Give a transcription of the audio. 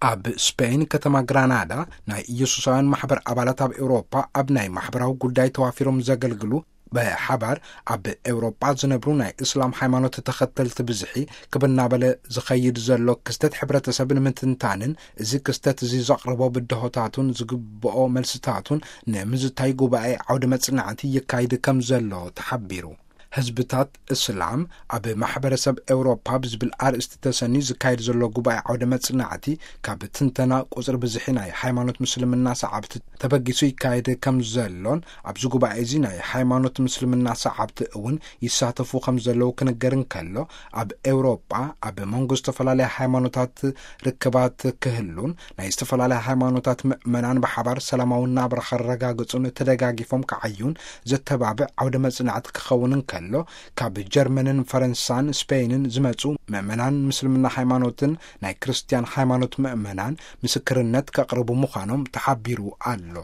ኣብ ስፔን ከተማ ግራናዳ ናይ ኢየሱሳውያን ማሕበር ኣባላት ኣብ ኤውሮጳ ኣብ ናይ ማሕበራዊ ጉዳይ ተዋፊሮም ዘገልግሉ ብሓባር ኣብ ኤውሮጳ ዝነብሩ ናይ እስላም ሃይማኖት ተኸተልቲ ብዝሒ ክብ እናበለ ዝኸይድ ዘሎ ክስተት ሕብረተሰብ ንምትንታንን እዚ ክስተት እዚ ዘቕርቦ ብድሆታቱን ዝግብኦ መልስታቱን ንምዝታይ ጉባኤ ዓውደ መጽናዕቲ ይካይድ ከም ዘሎ ተሓቢሩ። ህዝብታት እስላም ኣብ ማሕበረሰብ ኤውሮፓ ብዝብል ኣርእስቲ ተሰንዩ ዝካየድ ዘሎ ጉባኤ ዓውደ መጽናዕቲ ካብ ትንተና ቁጽሪ ብዝሒ ናይ ሃይማኖት ምስልምና ሰዓብቲ ተበጊሱ ይካየድ ከም ዘሎን ኣብዚ ጉባኤ እዚ ናይ ሃይማኖት ምስልምና ሰዓብቲ እውን ይሳተፉ ከም ዘለዉ ክንገር እንከሎ ኣብ ኤውሮፓ ኣብ መንጎ ዝተፈላለያ ሃይማኖታት ርክባት ክህሉን ናይ ዝተፈላለያ ሃይማኖታት ምእመናን ብሓባር ሰላማዊ ናብራ ከረጋግጹን ተደጋጊፎም ክዓዩን ዘተባብዕ ዓውደ መጽናዕቲ ክኸውን እንከሎ ካብ ጀርመንን ፈረንሳን ስፔይንን ዝመጹ ምእመናን ምስልምና ሃይማኖትን ናይ ክርስትያን ሃይማኖት ምእመናን ምስክርነት ከቕርቡ ምዃኖም ተሓቢሩ ኣሎ።